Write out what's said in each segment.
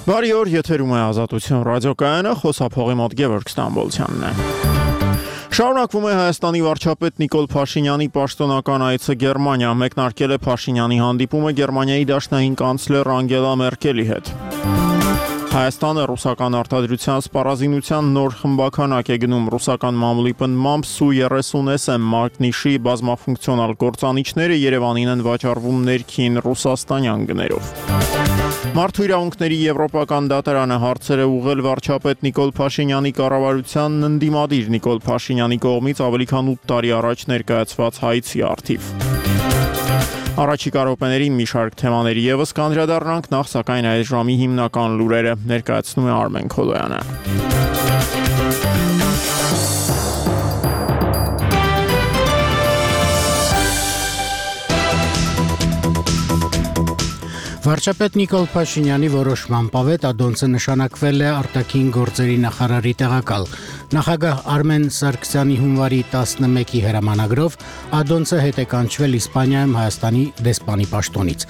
Բարի օր, եթերում է Ազատություն ռադիոկայանը, խոսափողի մոտ Գևորգ Ստամբոլցյանն է։ Շարունակվում է Հայաստանի վարչապետ Նիկոլ Փաշինյանի պաշտոնական այցը Գերմանիա, մեկնարկել է Փաշինյանի հանդիպումը Գերմանիայի դաշնային կանցլեր Անգելա Մերկելի հետ։ Հայաստանը ռուսական արտադրության սպառազինության նոր խմբականակ է գնում ռուսական մամուլի պնդմամբ Su-30SM մագնիշի բազմաֆունկցիոնալ գործանիչները Երևանին են վաճառվում ներքին ռուսաստանյան գներով։ Մարդու իրավունքների եվրոպական դատարանը հարցեր է ուղղել վարչապետ Նիկոլ Փաշինյանի կառավարությանն ընդդիմադիր Նիկոլ Փաշինյանի կողմից ավելի քան 8 տարի առաջ ներկայացված հայցի առթիվ։ Առաջիկա րոպեներին մի շարք թեմաների ևս կանդրադառնանք, նախ սակայն այս ժամի հիմնական լուրերը ներկայացնում է Արմեն Քոլոյանը։ Վարչապետ Նիկոլ Փաշինյանի որոշման պավետ Ադոնցը նշանակվել է արտաքին գործերի նախարարի տեղակալ։ Նախագահ Արմեն Սարգսյանի հունվարի 11-ի հրամանագրով Ադոնցը հետ է կանչվել Իսպանիայում Հայաստանի դեսպանի պաշտոնից։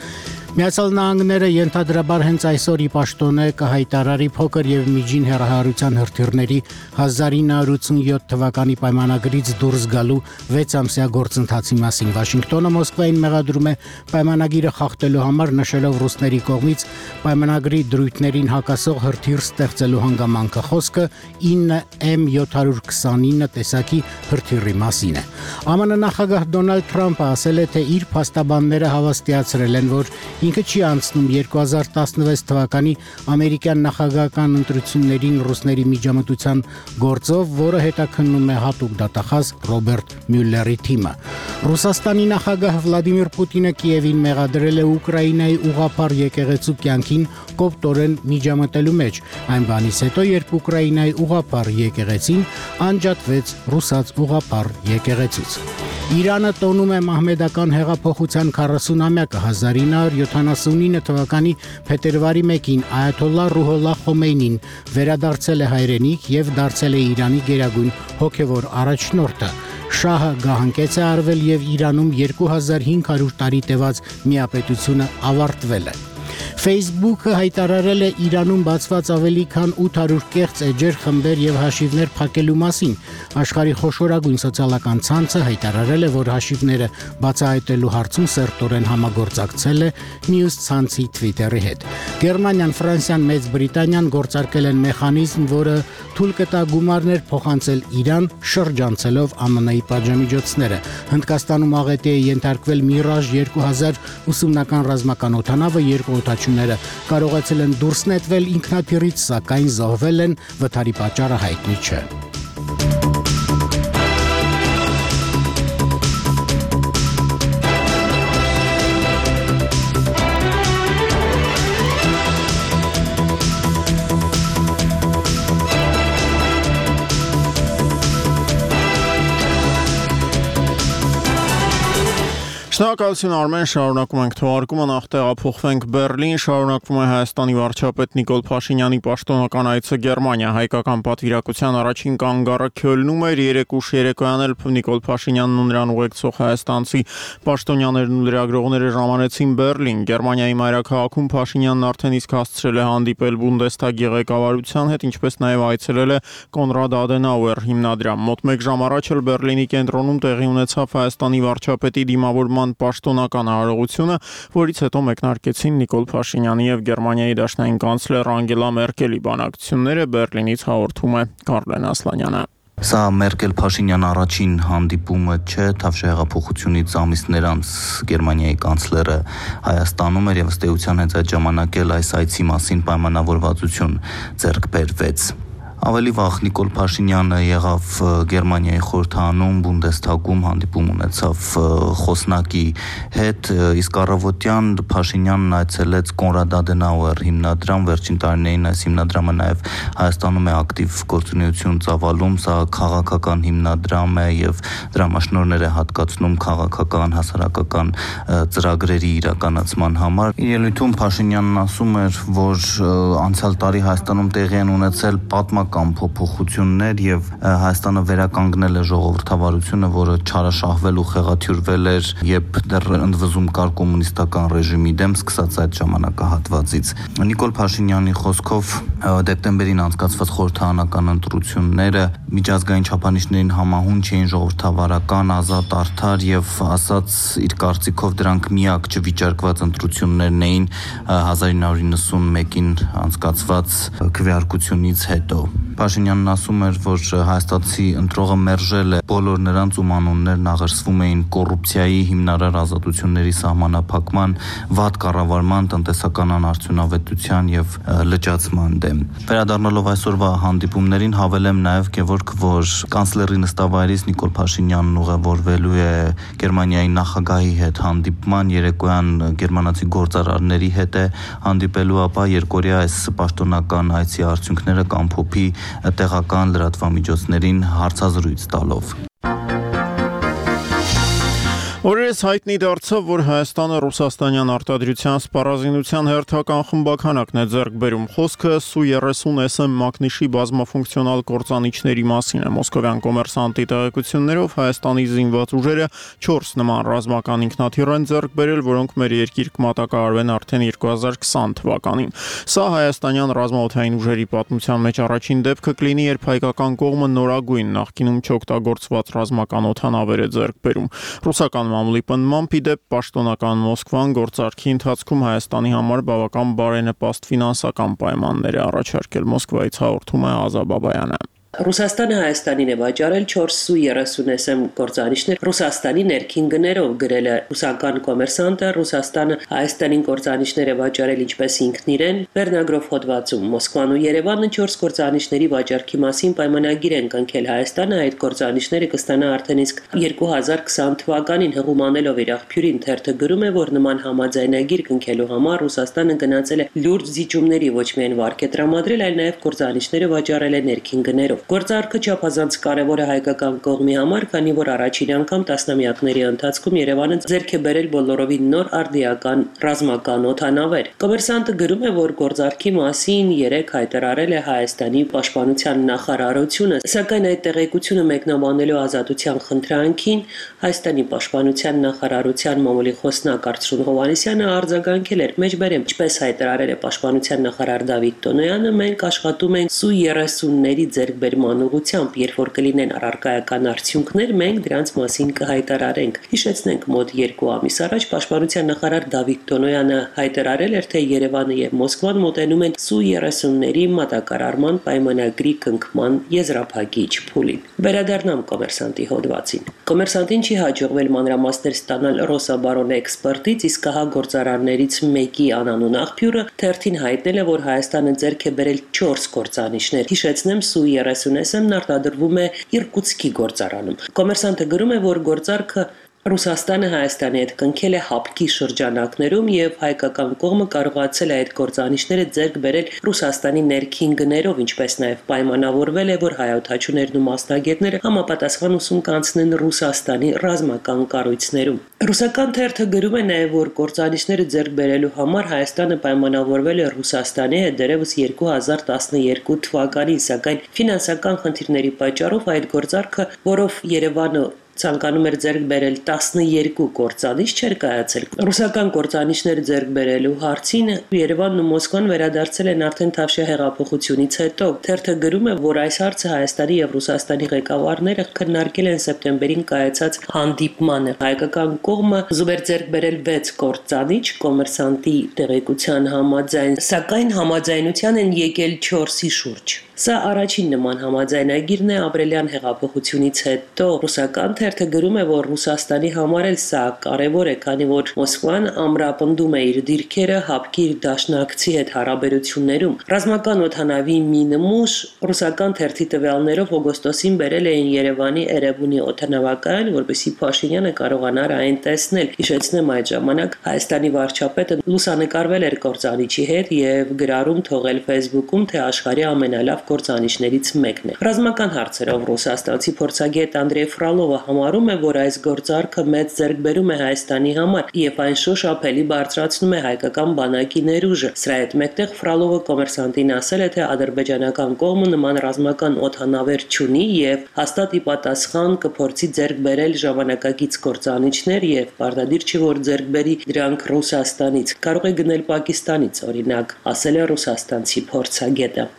Միացյալ Նահանգները ենթադրաբար հենց այսօր ի պաշտոնե կհայտարարի փոքր եւ միջին հեռահարության հրթիռների 1987 թվականի պայմանագրից դուրս գալու 6-ամսյա գործընթացի մասին։ Վաշինգտոնը Մոսկվային մեղադրում է պայմանագիրը խախտելու համար, նշելով ռուսների կողմից պայմանագրի դրույթներին հակասող հրթիռ ստեղծելու հանգամանքը։ Խոսքը 9M729 տեսակի հրթիռի մասին է։ ԱՄՆ նախագահ Դոնալդ Թրամփը ասել է, թե իր փաստաբանները հավաստիացրել են, որ ինքը չի անցնում 2016 թվականի ամերիկյան նախագահական ընտրություններին ռուսների միջամտության գործով, որը հետաքննում է հատուկ դատախազ Ռոբերտ Մյուլլերի թիմը։ Ռուսաստանի նախագահ Վլադիմիր Պուտինը Կիևին մեղադրել է Ուկրաինայի ուղղափառ եկեղեցու կյանքին կոպտորեն միջամտելու մեջ, այն բանից հետո, երբ Ուկրաինայի ուղղափառ եկեղեցին անջատվեց ռուսաց ուղղափառ եկեղեցուց։ Իրանը տոնում է մահմեդական հեղափոխության 40-ամյակը 1979 թվականի փետրվարի 1-ին Այաթոլլահ Ռուհոլլահ Խոմեյնին վերադարձել է հայրենիք եւ դարձել է Իրանի գերագույն հոգեվոր առաջնորդը։ Շահը գահանկեց է արվել եւ Իրանում 2500 տարի տևած միապետությունը ավարտվել է։ Facebook-ը հայտարարել է Իրանում բացված ավելի քան 800 կեղծ էջեր, խմբեր եւ հաշիվներ փակելու մասին։ Աշխարհի խոշորագույն սոցիալական ցանցը հայտարարել է, որ հաշիվները բացահայտելու հարցում սերտորեն համագործակցել է News ցանցի Twitter-ի հետ։ Գերմանիան, Ֆրանսիան, Մեծ Բրիտանիան գործարկել են մեխանիզմ, որը թույլ կտա գումարներ փոխանցել Իրան, շրջանցելով ԱՄՆ-ի պատժամիջոցները։ Հնդկաստանում աղետի է ենթարկվել Mirage 2000 ուսումնական ռազմական օդանավը, երկու օդաչուները կարողացել են դուրս նետվել ինքնաթիռից, սակայն զոհվել են, վթարի պատճառը հայտնի չէ։ Շնորհակալություն Արմեն, շարունակում ենք թողարկումը, նախ տեղափոխվենք Բեռլին, շարունակվում է Հայաստանի վարչապետ Նիկոլ Փաշինյանի պաշտոնական այցը Գերմանիա, հայկական պատվիրակության առաջին կանգառը Քյոլնում էր, երեկ ուշ երեկոյան էլ Նիկոլ Փաշինյանն ու նրան ուղեկցող հայաստանցի պաշտոնյաներն ու լրագրողները ժամանեցին Բեռլին։ Գերմանիայի մայրաքաղաքում Փաշինյանն արդեն իսկ հասցրել է հանդիպել Բունդեսթագի ղեկավարության հետ, ինչպես նաև այցելել է Կոնրադ Ադենաուեր հիմնադրամ։ Մոտ 1 ժամ առաջ էլ Բեռլինի կենտրոնում տեղի ունեցավ Հայաստանի վարչապետի դիմավորման պաշտոնական արարողությունը, որից հետո մեկնարկեցին Նիկոլ Փաշինյանի եւ Գերմանիայի դաշնային կանցլեր Անգելա Մերկելի բանակցությունները։ Բեռլինից հաղորդում է Կարլեն Ասլանյանը։ Սա Մերկել-Փաշինյան առաջին հանդիպումը չէ, Թավշյա ամիսներ անց Գերմանիայի կանցլերը Հայաստանում էր եւ ըստ էության հենց այդ ժամանակ էլ այս այցի մասին պայմանավորվածություն ձեռք բերվեց։ Ավելի վաղ Նիկոլ Փաշինյանը եղավ Գերմանիայի խորհրդանում, Բունդեսթագում հանդիպում ունեցավ խոսնակի հետ, իսկ առավոտյան Փաշինյանն այցելեց Կոնրադ Ադենաուեր հիմնադրամ, վերջին տարիներին այս հիմնադրամը նաև Հայաստանում է ակտիվ գործունեություն ծավալում, սա քաղաքական հիմնադրամ է եւ դրամաշնորհներ է հատկացնում քաղաքական, հասարակական ծրագրերի իրականացման համար։ Իր ելույթում Փաշինյանն ասում էր, որ անցյալ տարի Հայաստանում տեղի են ունեցել պատմական հիմնական փոփոխություններ եւ Հայաստանը վերականգնել է ժողովրդավարությունը, որը չարաշահվել ու խեղաթյուրվել էր, երբ դեռ ընդվզում կար կոմունիստական ռեժիմի դեմ սկսած այդ ժամանակահատվածից։ Նիկոլ Փաշինյանի խոսքով դեկտեմբերին անցկացված խորհրդարանական ընտրությունները միջազգային չափանիշներին համահունչ էին, ժողովրդավարական, ազատ, արդար եւ ասած իր կարծիքով դրանք միակ չվիճարկված ընտրություններն էին 1991-ին անցկացված քվեարկությունից հետո։ Փաշինյանն ասում էր, որ հայաստանցի ընտրողը մերժել է բոլոր նրանց ում անուններն աղերսվում էին կոռուպցիայի, հիմնարար ազատությունների սահմանափակման, վատ կառավարման, տնտեսական անարդյունավետության եւ լճացման դեմ։ Վերադառնալով այսօրվա հանդիպումներին հավելեմ նաեւ որ կանցլերի նստավայրից Նիկոլ Փաշինյանն ուղևորվելու է Գերմանիայի նախագահի հետ հանդիպման, երեկոյան գերմանացի գործարարների հետ է հանդիպելու, ապա երկօրյա այս պաշտոնական այցի արդյունքները կամփոփի տեղական լրատվամիջոցներին հարցազրույց տալով։ Օրերս հայտնի դարձավ, որ Հայաստանը ռուսաստանյան արտադրության սպառազինության հերթական խմբականակն է ձեռք բերում։ Խոսքը Su-30SM մագնիշի բազմաֆունկցիոնալ կործանիչների մասին է։ Մոսկովյան կոմերսանտի տեղեկություններով Հայաստանի զինված ուժերը 4 նման ռազմական ինքնաթիռ են ձեռք բերել, որոնք մեր երկիր կմատակարարվեն արդեն 2020 թվականին։ Սա հայաստանյան ռազմաօդային ուժերի պատմության մեջ առաջին դեպքը կլինի, երբ հայկական կողմը նորագույն նախկինում չօգտագործված ռազմական օդանավեր է ձեռք բերում։ Ռուսական մամուլի պնդմամբ իդեպ պաշտոնական Մոսկվան գործարքի ընթացքում Հայաստանի համար բավական բարենպաստ ֆինանսական պայմաններ է առաջարկել։ Մոսկվայից հաղորդում է Ազա Բաբայանը։ Ռուսաստանը Հայաստանին է վաճառել 4 Su-30SM կործանիչներ Ռուսաստանի ներքին գներով, գրել է ռուսական կոմերսանտը։ Ռուսաստանը Հայաստանին կործանիչներ է վաճառել ինչպես ինքն իրեն, վերնագրով հոդվածում։ Մոսկվան ու Երևանը 4 կործանիչների վաճառքի մասին պայմանագիր են կնքել։ Հայաստանը այդ կործանիչները կստանա արդեն իսկ 2020 թվականին, հղումանելով իր աղբյուրին թերթը գրում է, որ նման համաձայնագիր կնքելու համար Ռուսաստանը գնացել է լուրջ զիջումների, ոչ միայն վարկ է տրամադրել, այլ նաև կործանիչները վաճառել է ներքին գներով։ Գործարքը չափազանց կարևոր է հայկական կողմի համար, քանի որ առաջին անգամ տասնամյակների ընթացքում Երևանը ձեռք է բերել բոլորովին նոր արդիական ռազմական օդանավեր։ Կոմերսանտը գրում է, որ գործարքի մասին 3 հայտարարել է Հայաստանի պաշտպանության նախարարությունը, սակայն այդ տեղեկությունը մեկնաբանելու ազատության խնդրանքին Հայաստանի պաշտպանության նախարարության մամուլի խոսնակ Արծրուն Հովհաննիսյանը արձագանքել էր. «Մեջբերեմ, ինչպես հայտարարել է պաշտպանության նախարար Դավիթ Տոնոյանը, մենք աշխատում ենք Su-30-ների ձեռքբերման ուղղությամբ, երբ որ կլինեն առարկայական արդյունքներ, մենք դրանց մասին կհայտարարենք»։ Հիշեցնենք, մոտ 2 ամիս առաջ պաշտպանության նախարար Դավիթ Տոնոյանը հայտարարել էր, թե Երևանը եւ Մոսկվան մոտենում են Su-30-ների մատակարարման պայմանագրի կնքման եզրափակիչ փուլին։ Վերադառնամ կոմերսանտի հոդվածին։ Կոմերսանտին չի հաջողվել մանրամասներ ստանալ Ռոսաբարոն էքսպերտից, իսկ հա գործարարներից մեկի անանուն աղբյուրը թերթին հայտնել է, որ Հայաստանը ձեռք է բերել 4 կործանիչներ։ Հիշեցնեմ, Su-30SM-ն արտադրվում է Իրկուտսկի գործարանում։ Կոմերսանտը գրում է, որ գործարքը Ռուսաստանը Հայաստանի հետ կնքել է հապկի շրջանակներում եւ հայկական կողմը կարողացել է այդ կործանիչները ձեռք բերել Ռուսաստանի ներքին գներով, ինչպես նաեւ պայմանավորվել է, որ հայօդաչուներն ու մասնագետները համապատասխան ուսում կանցնեն Ռուսաստանի ռազմական կառույցներում։ Ռուսական թերթը գրում է նաեւ, որ կործանիչները ձեռք բերելու համար Հայաստանը պայմանավորվել է Ռուսաստանի հետ դեռևս 2012 թվականին, սակայն ֆինանսական խնդիրների պատճառով այդ գործարքը, որով Երևանը ցանկանում էր ձեռք բերել 12 կործանիչ, չէր կայացել։ Ռուսական կործանիչներ ձեռք բերելու հարցին Երևանն ու Մոսկվան վերադարձել են արդեն Թավշյա հեղափոխությունից հետո։ Թերթը գրում է, որ այս հարցը Հայաստանի եւ Ռուսաստանի ղեկավարները քննարկել են սեպտեմբերին կայացած հանդիպմանը։ Հայկական կողմը զուգեր ձեռք բերել 6 կործանիչ, կոմերսանտի տեղեկության համաձայն, սակայն համաձայնության են եկել 4-ի շուրջ։ Սա առաջին նման համաձայնագիրն է ապրիլյան հեղափոխությունից հետո։ Ռուսական թերթը գրում է, որ Ռուսաստանի համար էլ սա կարևոր է, քանի որ Մոսկվան ամրապնդում է իր դիրքերը հապկի իր դաշնակցի հետ հարաբերություններում։ Ռազմական օդանավի մի նմուշ ռուսական թերթի տվյալներով օգոստոսին բերել էին Երևանի Էրեբունի օդանավակայան, որպեսզի Փաշինյանը կարողանար այն տեսնել։ Հիշեցնեմ, այդ ժամանակ Հայաստանի վարչապետը լուսանկարվել էր կործանիչի հետ եւ գրառում թողել Facebook-ում, թե աշխարհի ամենալավ կործանիչներից մեկն է։ Ռազմական հարցերով ռուսաստանցի փորձագետ Անդրեյ Ֆրալովը համարում է, որ այս գործարքը մեծ ձեռքբերում է Հայաստանի համար եւ այն շոշափելի բարձրացնում է հայկական բանակի ներուժը։ Սրա հետ մեկտեղ Ֆրալովը Կոմերսանտին ասել է, թե ադրբեջանական կողմը նման ռազմական օդանավեր չունի եւ հաստատ ի պատասխան կփորձի ձեռք բերել ժամանակակից կործանիչներ եւ պարտադիր չի որ ձեռք բերի դրանք Ռուսաստանից։ Կարող է գնել Պակիստանից, օրինակ, ասել է ռուսաստանցի փորձագետը։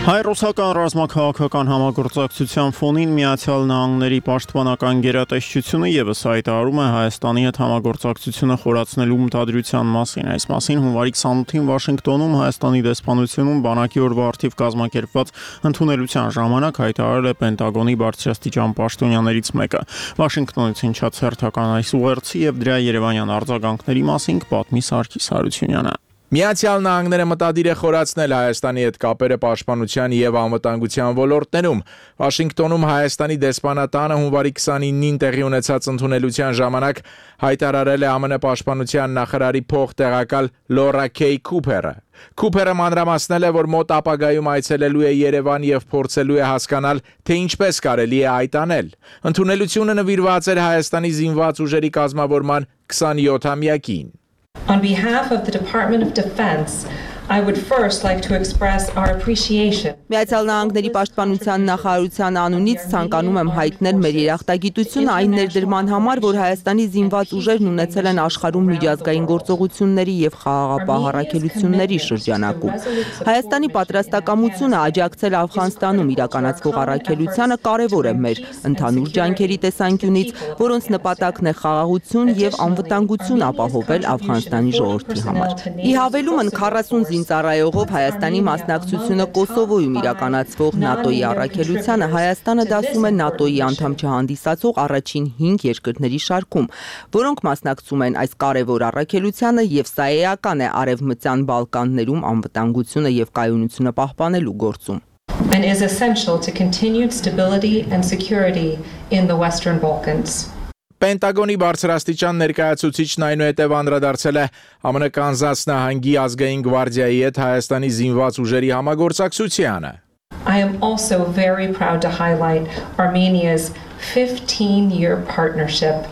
Հայ-ռուսական ռազմաքաղաքական համագործակցության ֆոնին Միացյալ Նահանգների պաշտպանական գերատեսչությունը եւս հայտարարում է Հայաստանի հետ համագործակցությունը խորացնելու մտադրության մասին։ Այս մասին հունվարի 28-ին Վաշինգտոնում Հայաստանի դեսպանությունում բանակի օրվա արդիվ կազմակերպված ընդունելության ժամանակ հայտարարել է Պենտագոնի բարձրաստիճան պաշտոնյաներից մեկը։ Վաշինգտոնից հնչած հերթական այս ուղերձի եւ դրա երևանյան արձագանքների մասին կպատմի Սարգիս Հարությունյանը։ Միացյալ Նահանգները մտադիր է խորացնել Հայաստանի հետ կապերը պաշտպանության եւ անվտանգության ոլորտներում։ Վաշինգտոնում Հայաստանի դեսպանատանը հունվարի 29-ին տեղի ունեցած ընդունելության ժամանակ հայտարարել է ԱՄՆ պաշտպանության նախարարի փոխտեղակալ Լորա Քեյ Քուփերը։ Քուփերը մանրամասնել է, որ մոտ ապագայում այցելելու է Երևան եւ փորձելու է հասկանալ, թե ինչպես կարելի է այդ անել։ Ընդունելությունը նվիրված էր Հայաստանի զինված ուժերի կազմավորման 27-ամյակին։ On behalf of the Department of Defense, I would first like to express our appreciation. Միացյալ Նահանգների պաշտպանության նախարարության անունից ցանկանում եմ հայտնել մեր երախտագիտությունը այն ներդրման համար, որ Հայաստանի զինված ուժերն ունեցել են աշխարհում միջազգային գործողությունների եւ խաղաղապահ առաքելությունների շրջանակում։ Հայաստանի պատրաստակամությունը աջակցել Աֆղանստանում իրականացվող առաքելությանը կարևոր է մեր ընդհանուր ջանքերի տեսանկյունից, որոնց նպատակն է խաղաղություն եւ անվտանգություն ապահովել Աֆղանստանի ժողովրդի համար։ Ի հավելումն 40 զինծառայողով Հայաստանի մասնակցությունը Կոսովոյում իրականացվող ՆԱՏՕ-ի առաքելությանը Հայաստանը դասում է ՆԱՏՕ-ի անդամ չհանդիսացող առաջին 5 երկրների շարքում, որոնք մասնակցում են այս կարևոր առաքելությանը եւ սա էական է Արևմտյան Բալկաններում անվտանգությունը եւ կայունությունը պահպանելու գործում։ And is essential to continued stability and security in the Western Balkans. Պենտագոնի բարձրաստիճան ներկայացուցիչն այնուհետև անդրադարձել է ԱՄՆ Կանզաս նահանգի ազգային գվարդիայի հետ Հայաստանի զինված ուժերի համագործակցությանը։ I am also very proud to highlight Armenia's 15-year partnership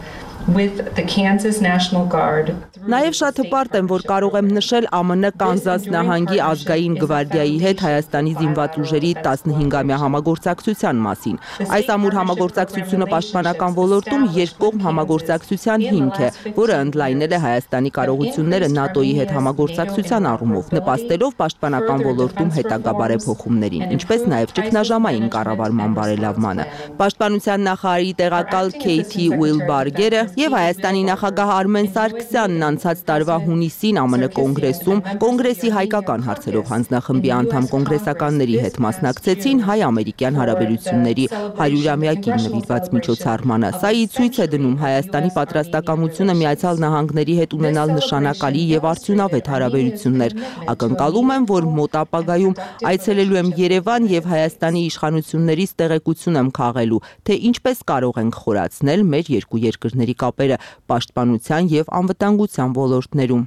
with the Kansas National Guard. Նաև շատ հպարտ եմ, որ կարող եմ նշել ԱՄՆ Կանզաս նահանգի ազգային գվարդիայի հետ Հայաստանի զինված ուժերի 15-ամյա համագործակցության մասին։ Այս ամուր համագործակցությունը պաշտպանական ոլորտում երկկողմ համագործակցության հիմք է, որը ընդլայնել է Հայաստանի կարողությունները ՆԱՏՕ-ի հետ համագործակցության առումով, նպաստելով պաշտպանական ոլորտում հետագա բարեփոխումներին, ինչպես նաև ճգնաժամային կառավարման բարելավմանը։ Պաշտպանության նախարարի տեղակալ Քեյթի Ուիլբարգերը եւ Հայաստանի նախագահ Արմեն Սարգսյանն անցած տարվա հունիսին ԱՄՆ կոնգրեսում կոնգրեսի հայկական հարցերով հանձնախմբի անդամ կոնգրեսականների հետ մասնակցեցին հայ-ամերիկյան հարաբերությունների 100-ամյակին նվիրված միջոցառմանը։ Սա ի ցույց է դնում Հայաստանի պատրաստակամությունը Միացյալ Նահանգների հետ ունենալ նշանակալի եւ արդյունավետ հարաբերություններ։ Ակնկալում եմ, որ մոտ ապագայում այցելելու եմ Երևան եւ Հայաստանի իշխանություններից տեղեկություն եմ քաղելու, թե ինչպես կարող ենք խորացնել մեր երկու երկրների կապերը պաշտպանության եւ անվտանգության ոլորտներում։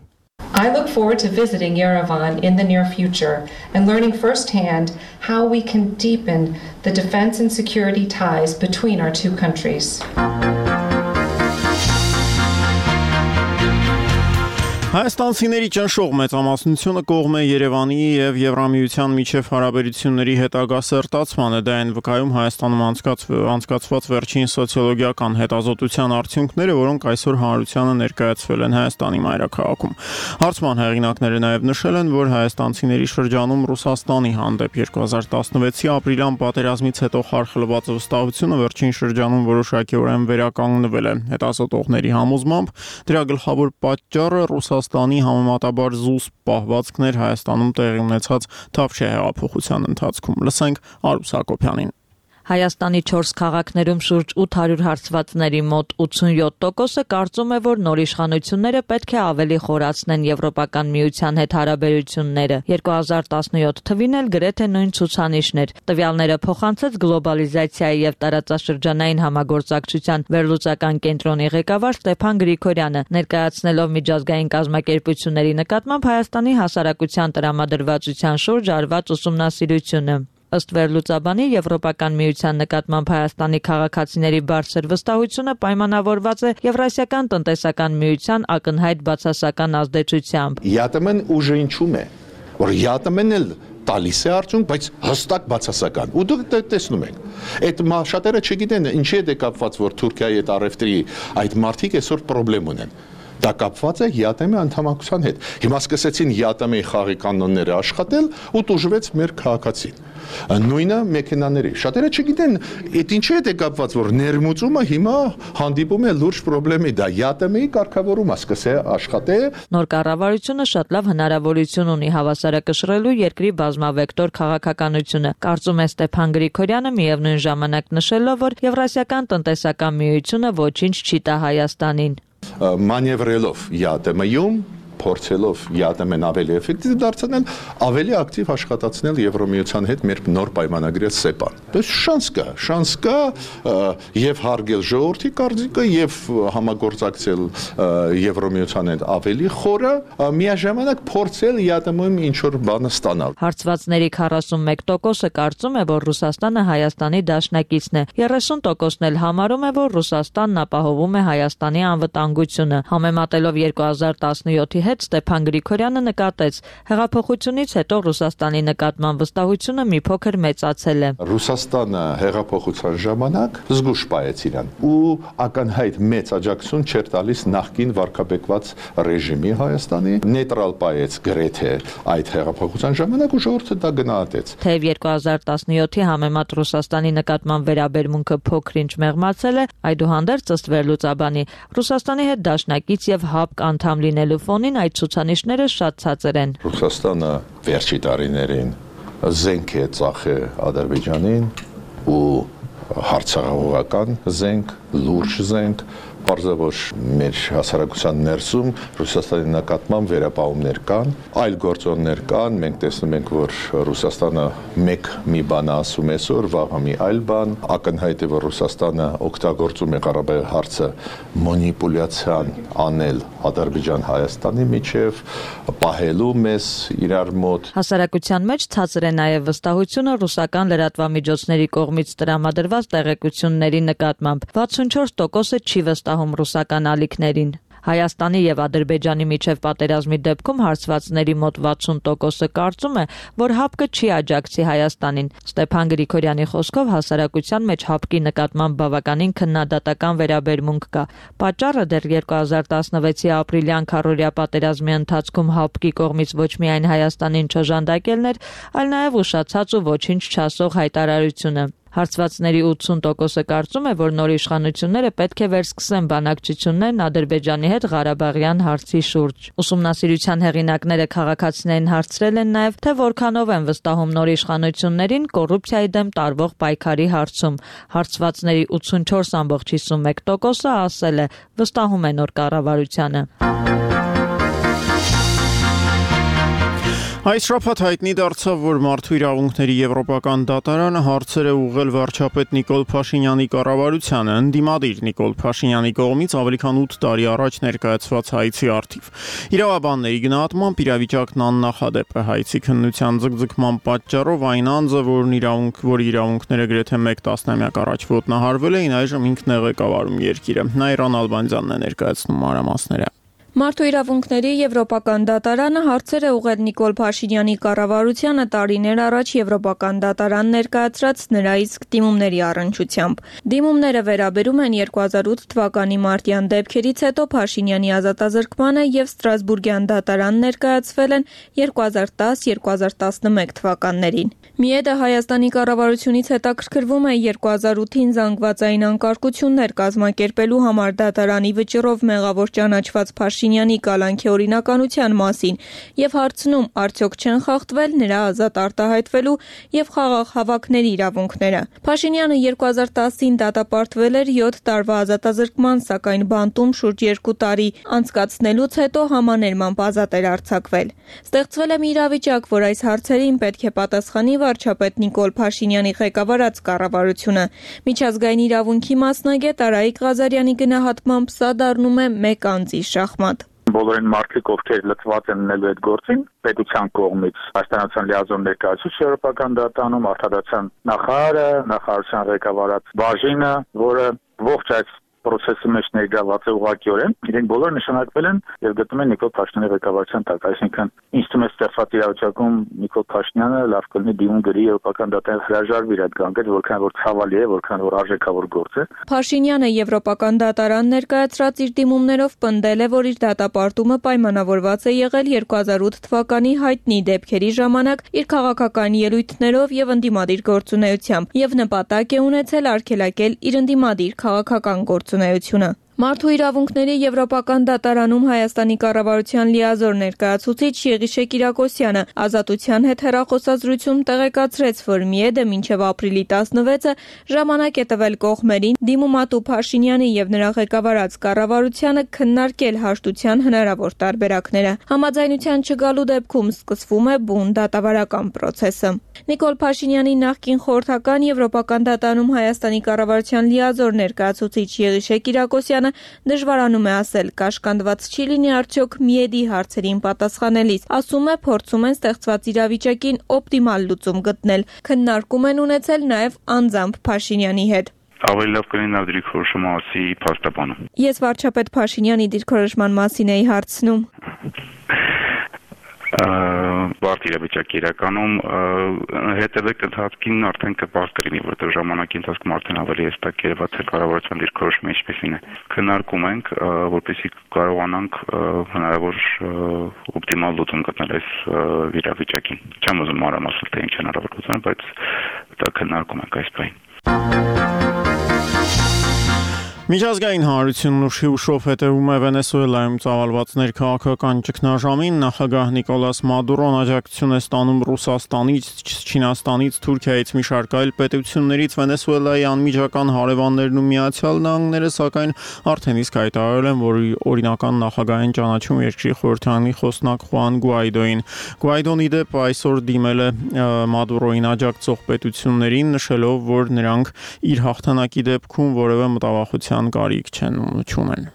I look forward to visiting Yerevan in the near future and learning firsthand how we can deepen the defense and security ties between our two countries. Հայաստանցիների ճնշող մեծամասնությունը կողմ է Երևանի եւ Եվրամիության միջև հարաբերությունների հետագա սերտացմանը, դա այն վկայում Հայաստանում անցկացված վերջին սոցիոլոգիական հետազոտության արդյունքները, որոնք այսօր հանրությանը ներկայացվել են Հայաստանի մայրաքաղաքում։ Հարցման հեղինակները նաեւ նշել են, որ հայաստանցիների շրջանում Ռուսաստանի հանդեպ 2016-ի ապրիլյան պատերազմից հետո խարխլված վստահությունը վերջին շրջանում որոշակիորեն վերականգնվել է։ Հետազոտողների համոզմամբ դրա գլխավոր պատճառը Ռուսաստանի համեմատաբար զուսպ պահվածքներ Հայաստանում տեղի ունեցած Թավշյա հեղափոխության ընթացքում։ Լսենք Արուս Հակոբյանին։ Հայաստանի 4 քաղաքներում շուրջ 800 հարցվածների մոտ 87%-ը կարծում է, որ նոր իշխանությունները պետք է ավելի խորացնեն Եվրոպական միության հետ հարաբերությունները։ 2017 թվին էլ գրեթե նույն ցուցանիշներ։ Տվյալները փոխանցեց գլոբալիզացիայի եւ տարածաշրջանային համագործակցության վերլուծական կենտրոնի ղեկավար Ստեփան Գրիգորյանը, ներկայացնելով միջազգային կազմակերպությունների նկատմամբ Հայաստանի հասարակության տրամադրվածության շուրջ արված ուսումնասիրությունը։ Ըստ վերլուծաբանի Եվրոպական միության նկատմամբ Հայաստանի քաղաքացիների բարձր վստահությունը պայմանավորված է Եվրասիական տնտեսական միության ակնհայտ բացասական ազդեցությամբ։ ԵԱՏՄ-ն ուժը ինչու՞մ է, որ ԵԱՏՄ-ն էլ տալիս է արդյունք, բայց հստակ բացասական։ Ու դուք տեսնում եք, այդ շատերը չգիտեն ինչի է կապված, որ Թուրքիայի հետ առևտրի այդ մարդիկ այսօր խնդրեմ ունեն։ Դա կապված է ԵԱՏՄ-ի անդամակցության հետ։ Հիմա սկսեցին ԵԱՏՄ-ի խաղի կանոնները աշխատել ու տուժվեց մեր քաղաքացին։ Նույնը մեքենաների։ Շատերը չգիտեն, այդ ինչի հետ է կապված, որ ներմուծումը հիմա հանդիպում է լուրջ խնդրի, դա ԵԱՏՄ-ի կարգավորումը սկսե աշխատել։ Նոր կառավարությունը շատ լավ հնարավորություն ունի հավասարակշռելու երկրի բազմավեկտոր քաղաքականությունը, կարծում է Ստեփան Գրիգորյանը, միևնույն ժամանակ նշելով, որ Եվրասիական տնտեսական միությունը ոչինչ չի տա Հայաստանին։ Մանևրելով ԵԱՏՄ-ում, փորձելով ԵԱՏՄ-ն ավելի էֆեկտիվ դարձնել, ավելի ակտիվ աշխատացնել Եվրոմիության հետ մեր նոր պայմանագրել ՍԵՊԱ-ն։ Դες շանս կա եւ հարգել ժողովրդի կարծիքը եւ համագործակցել Եվրոմիության հետ ավելի խորը, միաժամանակ փորձել ԵԱՏՄ-ում ինչ որ բանը ստանալ։ Հարցվածների 41%-ը կարծում է, որ Ռուսաստանը Հայաստանի դաշնակիցն է, 30%-ն էլ համարում է, որ Ռուսաստանն ապահովում է Հայաստանի անվտանգությունը։ Համեմատելով 2017-ի հետ Ստեփան Գրիգորյանը նկատեց, հեղափոխությունից հետո Ռուսաստանի նկատմամբ վստահությունը մի փոքր մեծացել է։ Ռուսաստանը հեղափոխության ժամանակ զգուշ պահեց իրան ու ակնհայտ մեծ աջակցություն չէր տալիս նախկին վարկաբեկված ռեժիմի Հայաստանի, նեյտրալ պահեց գրեթե այդ հեղափոխության ժամանակ ու ժողովուրդը դա գնահատեց։ Թեև 2017-ի համեմատ Ռուսաստանի նկատմամբ վերաբերմունքը փոքր-ինչ մեղմացել է, այդուհանդերձ ըստ վերլուծաբանի Ռուսաստանի հետ դաշնակից եւ ՀԱՊԿ անդամ լինելու ֆոնին այդ ցուցանիշները շատ ցածր են։ Ռուսաստանը վերջի տարիներին զենք է ծախել Ադրբեջանին ու հարցահողական զենք, լուրջ զենք, պարզավոր մեր հասարակության ներսում Ռուսաստանի նկատմամբ վերապահումներ կան, այլ գործոններ կան, մենք տեսնում ենք, որ Ռուսաստանը մի բան ասում է այսօր, վաղը մի այլ բան, ակնհայտ է, որ Ռուսաստանը օգտագործում է Ղարաբաղի հարցը մանիպուլյացիան անել Ադրբեջան-Հայաստանի միջև, պահելու մեզ իրար մոտ։ Հասարակության մեջ ցածր է նաև վստահությունը ռուսական լրատվամիջոցների կողմից տրամադրված տեղեկությունների նկատմամբ։ 64%-ը չի վստահում ռուսական ալիքներին։ Հայաստանի եւ Ադրբեջանի միջև պատերազմի դեպքում հարցվածների մոտ 60%-ը կարծում է, որ ՀԱՊԿ-ը չի աջակցի Հայաստանին։ Ստեփան Գրիգորյանի խոսքով հասարակության մեջ ՀԱՊԿ-ի նկատմամբ բավականին քննադատական վերաբերմունք կա։ Պատճառը դեռ 2016-ի ապրիլյան քառօրյա պատերազմի ընթացքում ՀԱՊԿ-ի կողմից ոչ միայն Հայաստանին չժանդակելն էր, այլ նաեւ ուշացած ու ոչինչ չասող հայտարարությունը։ Հարցվածների 80%-ը կարծում է, որ նոր իշխանությունները պետք է վերսկսեն բանակցություններն Ադրբեջանի հետ Ղարաբաղյան հարցի շուրջ։ Ուսումնասիրության հեղինակները քաղաքացիներին հարցրել են նաև, թե որքանով են վստահում նոր իշխանություններին կոռուպցիայի դեմ տարվող պայքարի հարցում։ Հարցվածների 84.51%-ը ասել է, վստահում է նոր կառավարությանը։ Այս շաբաթ հայտնի դարձավ, որ Մարդու իրավունքների եվրոպական դատարանը հարցեր է ուղղել վարչապետ Նիկոլ Փաշինյանի կառավարությանը, ընդդիմադիր Նիկոլ Փաշինյանի կողմից ավելի քան 8 տարի առաջ ներկայացված հայցի առթիվ։ Իրավաբանների գնահատմամբ իրավիճակն աննախադեպ է հայցի քննության ձգձգման պատճառով այն անձը, որ իրավունքները գրեթե 1 տասնամյակ առաջ ոտնահարվել էին, այժմ ինքն է ղեկավարում երկիրը։ Նայիրան Ալբանդյանն է ներկայացնում մանրամասները։ Մարդու իրավունքների եվրոպական դատարանը հարցեր է ուղղել Նիկոլ Փաշինյանի կառավարությանը տարիներ առաջ եվրոպական դատարան ներկայացրած նրա իսկ դիմումների առնչությամբ։ Դիմումները վերաբերում են 2008 թվականի մարտյան դեպքերից հետո Փաշինյանի ազատազրկմանը եւ Ստրասբուրգյան դատարան ներկայացվել են 2010-2011 թվականներին։ Միեդը Հայաստանի կառավարությունից հետաքրքրվում է 2008-ին զանգվածային անկարգություններ կազմակերպելու համար դատարանի վճռով մեղավոր ճանաչված Փաշինյանը Փաշինյանի կալանքի օրինականության մասին եւ հարցնում արդյոք չեն խախտվել նրա ազատ արտահայտվելու եւ խաղաղ հավաքների իրավունքները։ Փաշինյանը 2010-ին դատապարտվել էր 7 տարվա ազատազրկման, սակայն բանտում շուրջ 2 տարի անցկացնելուց հետո համաներմամբ ազատ էր արձակվել։ Ստեղծվել է մի իրավիճակ, որ այս հարցերին պետք է պատասխանի վարչապետ Նիկոլ Փաշինյանի ղեկավարած կառավարությունը։ Միջազգային իրավունքի մասնագետ Արայիկ Ղազարյանի գնահատմամբ սա դառնում է մեկ անձի շախմատ։ Բոլորին մարդիկ, ովքեր լծված են ունելու այդ գործին, պետության կողմից հայաստանյան լիազոր ներկայացուցիչ Եվրոպական դատարանում, արտադրության նախարարը, նախարարության ղեկավարած բաժինը, որը ողջ այս process-ի մեջ ներգրաված է ուղղակիորեն, իրենք բոլորը նշանակվել են եւ գտնվում են Նիկոլ Փաշինյանի ղեկավարության տակ, այսինքն ինձ թվում է ստեղծված իրավիճակում Նիկոլ Փաշինյանը լավ կլինի դիմում գրի Եվրոպական դատարան հրաժարվի այդ գանգեր, որքան որ ցավալի է, որքան որ արժեքավոր գործ է։ Փաշինյանը Եվրոպական դատարան ներկայացրած իր դիմումներով պնդել է, որ իր դատապարտումը պայմանավորված է եղել 2008 թվականի հայտնի դեպքերի ժամանակ իր քաղաքական ելույթներով եւ ընդդիմադիր գործունեությամբ եւ նպատակ է ունեցել արգելակել իր ընդդիմադիր քաղաքական գործունեությունը։ Մարդու իրավունքների Եվրոպական դատարանում Հայաստանի կառավարության լիազոր ներկայացուցիչ Եղիշե Կիրակոսյանը ազատության հետ հեռախոսազրույցում տեղեկացրեց, որ ՄԻԵԴ-ը մինչև ապրիլի 16-ը ժամանակ է տվել կողմերին դիմումատու Փաշինյանի եւ նրա ղեկավարած կառավարությանը քննարկել հաշտության հնարավոր տարբերակները։ Համաձայնության չգալու դեպքում սկսվում է բուն դատավարական process-ը։ Նիկոլ Փաշինյանի նախկին խորհրդական Եվրոպական դատարանում Հայաստանի կառավարության լիազոր ներկայացուցիչ Եղիշե Կիրակոսյանը դժվարանում է ասել, կաշկանդված չի լինի արդյոք ՄԻԵԴ-ի հարցերին պատասխանելիս։ Ասում է, փորձում են ստեղծված իրավիճակին օպտիմալ լուծում գտնել։ Քննարկում են ունեցել նաև անձամբ Փաշինյանի հետ։ Ավելի լավ կլինի նա դիրքորոշումը ասի փաստաբանը։ Ես վարչապետ Փաշինյանի դիրքորոշման մասին էի հարցնում։ Բարդ իրավիճակի իրականում հետևեք ընթացքին արդեն կպարզ կլինի, որտեղ ժամանակի ընթացքում արդեն ավելի հստակ երևաց է կառավարության դիրքորոշումը ինչպեսին է։ Քննարկում ենք, որպեսզի կարողանանք հնարավոր օպտիմալ լուծում գտնել այս իրավիճակին։ Չեմ ուզում մանրամասնել, թե ինչ հնարավոր լուծում, բայց դա քննարկում ենք այս բանը։ Միջազգային հանրությունն ուշի ուշով հետևում է Վենեսուելայում ծավալված ներքաղաքական ճգնաժամին, նախագահ Նիկոլաս Մադուրոն աջակցություն է ստանում Ռուսաստանից, Չինաստանից, Թուրքիայից մի շարք այլ պետություններից, Վենեսուելայի անմիջական հարևաններն ու Միացյալ Նահանգները, սակայն արդեն իսկ հայտարարել են, որ օրինական նախագահ են ճանաչում երկրի խորհրդարանի խոսնակ Խուան Գուայդոին։ Գուայդոն ի դեպ այսօր դիմել է Մադուրոին աջակցող պետություններին, նշելով, որ նրանք իր հաղթանակի դեպքում որևէ մտավախության կարիք չունեն։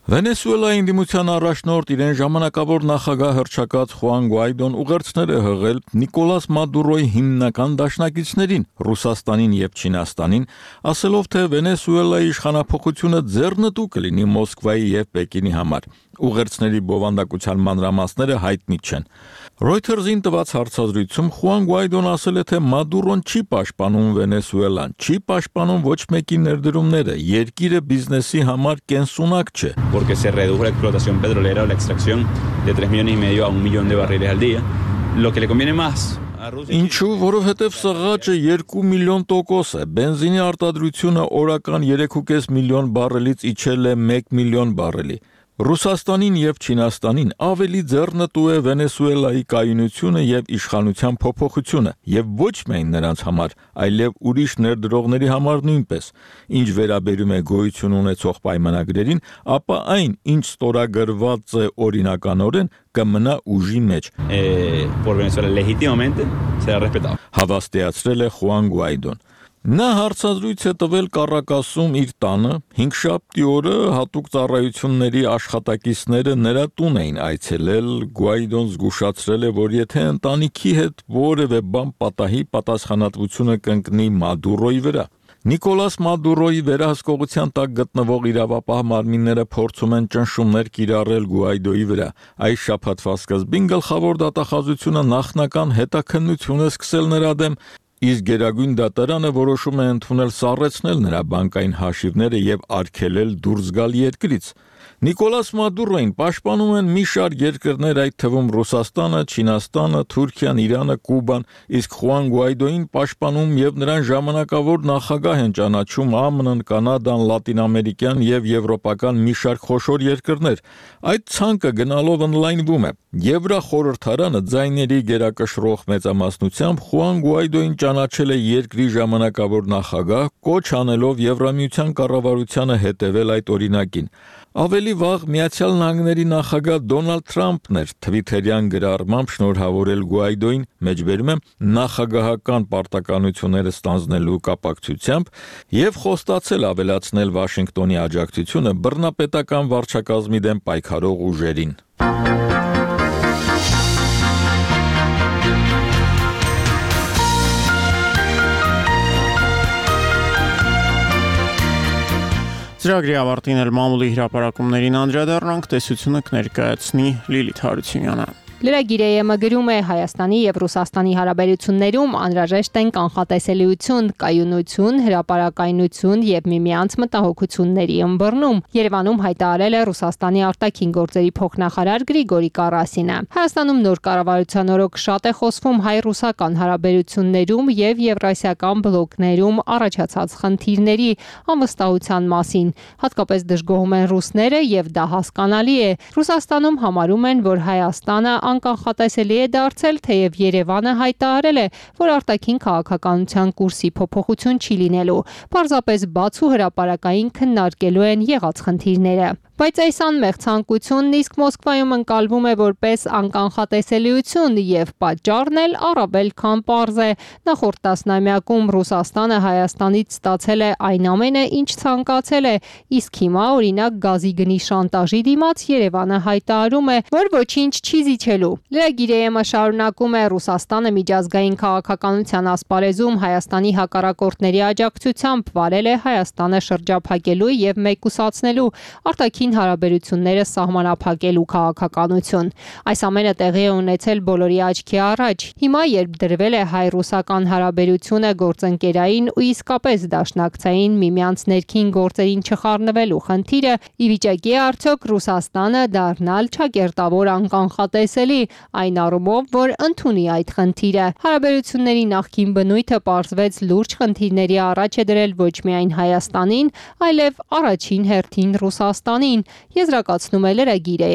Վենեսուելայի ընդդիմության առաջնորդ իրեն ժամանակավոր նախագահ հռչակած Խուան Գուայդոն ուղերձներ է հղել Նիկոլաս Մադուրոյի հիմնական դաշնակիցներին Ռուսաստանին եւ Չինաստանին, ասելով, թե Վենեսուելայի իշխանափոխությունը ձեռնտու կլինի Մոսկվայի եւ Պեկինի համար։ Ուղերձների բովանդակության մանրամասները հայտնի չեն։ Reuters-ին տված հարցազրույցում Խուան Գուայդոն ասել է, թե Մադուրոն չի պաշտպանում Վենեսուելան, չի պաշտպանում ոչ մեկի ներդրումները, երկիրը բիզնեսի համար կենսունակ չէ։ Porque se redujo la explotación petrolera o la extracción de 3,5 millones a 1 millón de barriles al día. Lo que le conviene más Ինչու, որովհետև սղաճը 2 միլիոն տոկոս է, բենզինի արտադրությունը օրական 3,5 միլիոն բարելից իջել է 1 միլիոն բարելի։ Ռուսաստանին եւ Չինաստանին ավելի ձեռնտու է Վենեսուելայի կայունությունը եւ իշխանության փոփոխությունը եւ ոչ միայն նրանց համար, այլև ուրիշ ներդրողների համար նույնպես։ Ինչ վերաբերում է գոյություն ունեցող պայմանագրերին, ապա այն, ինչ ստորագրված է օրինականորեն, կմնա ուժի մեջ։ Por Venezuela legítimamente será respetado. Հավաստիացրել է Խուան Գուայդոն։ Նա հարցազրույց է տվել Կարակասում իր տանը, 5-շաբթի օրը հատուկ ծառայությունների աշխատակիցները նրա տուն էին այցելել, Գուայդոն զգուշացրել է, որ եթե ընտանիքի հետ որևէ բան պատահի, պատասխանատվությունը կընկնի Մադուրոյի վրա։ Նիկոլաս Մադուրոյի վերահսկողության տակ գտնվող իրավապահ մարմինները փորձում են ճնշումներ կիրառել Գուայդոյի վրա։ Այս շաբաթվա սկզբին գլխավոր դատախազությունը նախնական հետաքննություն է սկսել նրա դեմ, իսկ Գերագույն դատարանը որոշում է ընդունել սառեցնել նրա բանկային հաշիվները եւ արգելել դուրս գալ երկրից։ Նիկոլաս Մադուրոին պաշտպանում են մի շարք երկրներ, այդ թվում Ռուսաստանը, Չինաստանը, Թուրքիան, Իրանը, Կուբան, իսկ Խուան Գուայդոին պաշտպանում եւ նրան ժամանակավոր նախագահ են ճանաչում ԱՄՆ-ն, Կանադան, լատինամերիկյան եւ եվրոպական մի շարք խոշոր երկրներ։ Այդ ցանկը գնալով ընդլայնվում է։ Եվրախորհրդարանը ձայների գերակշռող մեծամասնությամբ Խուան Գուայդոին ճանաչել է երկրի ժամանակավոր նախագահ, կոչ անելով Եվրամիության կառավարությանը հետևել այդ օրինակին։ Ավելի վաղ Միացյալ Նահանգների նախագահ Դոնալդ Թրամփն էր թվիթերյան գրառմամբ շնորհավորել Գուայդոին, մեջբերում եմ նախագահական պարտականությունները ստանձնելու կապակցությամբ եւ խոստացել ավելացնել Վաշինգտոնի աջակցությունը բռնապետական վարչակազմի դեմ պայքարող ուժերին։ Ծրագրի ավարտին էլ մամուլի հրապարակումներին անդրադառնանք, տեսությունը կներկայացնի Լիլիթ Հարությունյանը։ Լրագիրը գրում է Հայաստանի եւ Ռուսաստանի հարաբերություններում անհրաժեշտ են կանխատեսելիություն, կայունություն, հրապարակայնություն եւ միմյանց մտահոգությունների ըմբռնում։ Երևանում հայտարարել է Ռուսաստանի արտաքին գործերի փոխնախարար Գրիգորի Կարասինը։ Հայաստանում նոր կառավարության օրոք շատ է խոսվում հայ-ռուսական հարաբերություններում եւ եվրասիական բլոկներում առաջացած խնդիրների անվստահության մասին։ Հատկապես դժգոհում են ռուսները եւ դա հասկանալի է։ Ռուսաստանում համարում են, որ Հայաստանը անկանխատեսելի է դարձել, թեև Երևանը հայտարարել է, որ արտաքին քաղաքականության կուրսի փոփոխություն չի լինելու, պարզապես բաց ու հրապարակային քննարկելու են եղած խնդիրները։ Բայց այս անմեղ ցանկությունն իսկ Մոսկվայում ընկալվում է որպես անկանխատեսելիություն եւ պատճառն էլ առավել քան պարզ է։ Նախորդ տասնամյակում Ռուսաստանը Հայաստանից ստացել է այն ամենը, ինչ ցանկացել է, իսկ հիմա օրինակ գազի գնի շանտաժի դիմաց Երևանը հայտարարում է, որ ոչինչ չի զիջելու։ Լրագիրը շարունակում է Ռուսաստանը միջազգային քաղաքականության ասպարեզում Հայաստանի հակառակորդների աջակցությամբ վարել է Հայաստանը շրջափակելու եւ մեկուսացնելու արտաքին հարաբերությունները սահմանափակելու քաղաքականություն։ Այս ամենը տեղի է ունեցել բոլորի աչքի առաջ։ Հիմա երբ դրվել է հայ-ռուսական հարաբերությունը գործընկերային ու իսկապես դաշնակցային միմյանց ներքին գործերին չխառնվելու խնդիրը, ի վիճակի է արդյոք Ռուսաստանը դառնալ չակերտավոր անկանխատեսելի, այն առումով, որ ընդունի այդ խնդիրը։ Հարաբերությունների նախկին բնույթը պարզվեց լուրջ խնդիրների առաջ է դրել ոչ միայն Հայաստանին, այլև առաջին հերթին Ռուսաստանին, եզրակացնում է լրագիրը։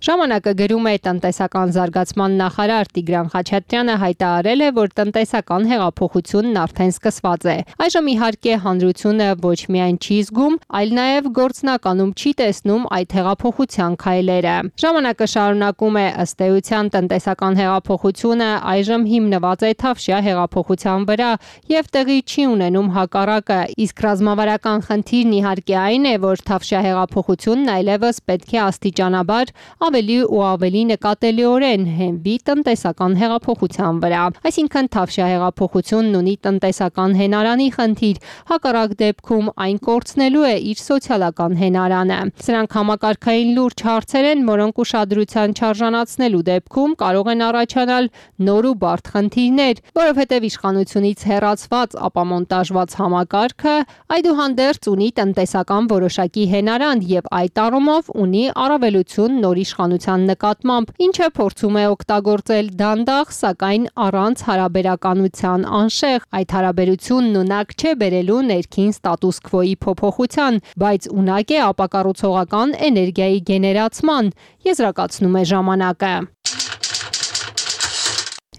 Ժամանակը գրում է տնտեսական զարգացման նախարար Տիգրան Խաչատրյանը հայտարարել է, որ տնտեսական հեղափոխությունն արդեն սկսված է։ Այժմ իհարկե հանրությունը ոչ միայն չի զգում, այլ նաև գործնականում չի տեսնում այդ հեղափոխության քայլերը։ Ժամանակը շարունակում է ըստ էության տնտեսական հեղափոխությունը այժմ հիմնված է Թավշյա հեղափոխության վրա եւ տեղի չի ունենում հակառակը, իսկ ռազմավարական խնդիրն իհարկե այն է, որ Թավշյա հեղափոխությունն այլևս պետք է աստիճանաբար ավելի ու ավելի նկատելիորեն հենվի տնտեսական հեղափոխության վրա։ Այսինքն Թավշյա հեղափոխությունն ունի տնտեսական հենարանի խնդիր, հակառակ դեպքում այն կորցնելու է իր սոցիալական հենարանը։ Սրանք համակարգային լուրջ հարցեր են, որոնք ուշադրության չարժանացնելու դեպքում կարող են առաջանալ նոր ու բարդ խնդիրներ, որովհետև իշխանությունից հեռացված ապամոնտաժված համակարգը այդուհանդերձ ունի տնտեսական որոշակի հենարան եւ այդ առումով ունի առավելություն նոր իշխանության նկատմամբ, ինչը փորձում է օգտագործել դանդաղ, սակայն առանց հարաբերականության անշեղ։ Այդ հարաբերությունն ունակ չէ բերելու ներքին ստատուս քվոյի փոփոխության, բայց ունակ է ապակառուցողական էներգիայի գեներացման, եզրակացնում է ժամանակը։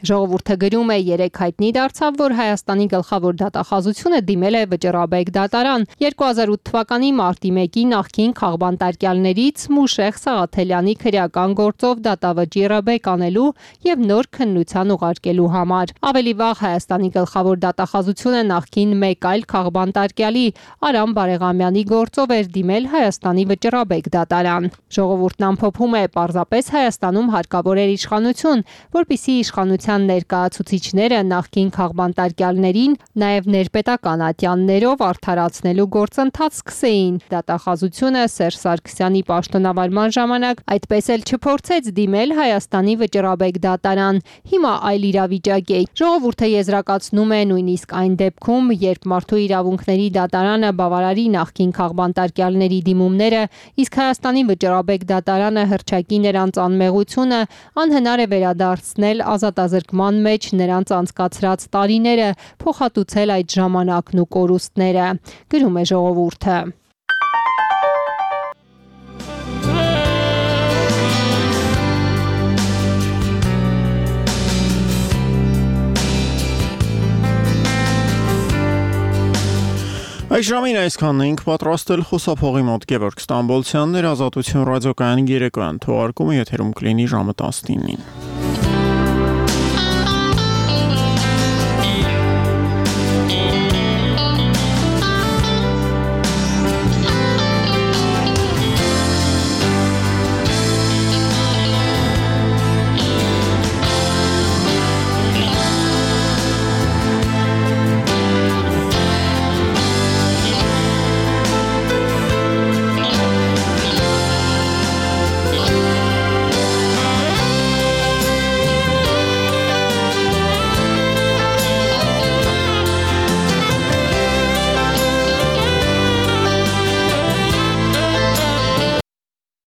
Ժողովուրդը գրում է երեք հայտնի դարձավ, որ Հայաստանի գլխավոր դատախազությունը դիմել է Վճռաբեկ դատարան 2008 թվականի մարտի 1-ի նախկին քաղբանտարկյալներից Մուշեղ Սաղաթելյանի քրեական գործով դատավճիռը բեկանելու եւ նոր քննության ուղարկելու համար։ Ավելի վաղ Հայաստանի գլխավոր դատախազությունը նախկին մեկ այլ քաղբանտարկյալի Արամ Բարեղամյանի գործով էր դիմել Հայաստանի Վճռաբեկ դատարան։ Ժողովուրդն ամփոփում է, պարզապես Հայաստանում հարկավոր էր իշխանություն, որպիսի իշխանության կառավարության ներկայացուցիչները նախկին քաղբանտարկյալներին նաև ներպետական ատյաններով արդարացնելու գործընթաց սկսեին։ Դատախազությունը Սերժ Սարգսյանի պաշտոնավարման ժամանակ այդպես էլ չփորձեց դիմել Հայաստանի վճռաբեկ դատարան։ Հիմա այլ իրավիճակ է։ Ժողովուրդը եզրակացնում է նույնիսկ այն դեպքում, երբ Մարդու իրավունքների դատարանը բավարարի նախկին քաղբանտարկյալների դիմումները, իսկ Հայաստանի վճռաբեկ դատարանը հռչակի նրանց անմեղությունը, անհնար է վերադարձնել ազատազրկման մեջ նրանց անցկացրած տարիները, փոխհատուցել այդ ժամանակն ու կորուստները, գրում է Ժողովուրդը։ Այս ժամին այսքանն ենք պատրաստել խոսափողի մոտ Գևորգ Ստամբոլցյանն էր, Ազատություն ռադիոկայանի երեկոյան թողարկումը եթերում կլինի ժամը 19-ին։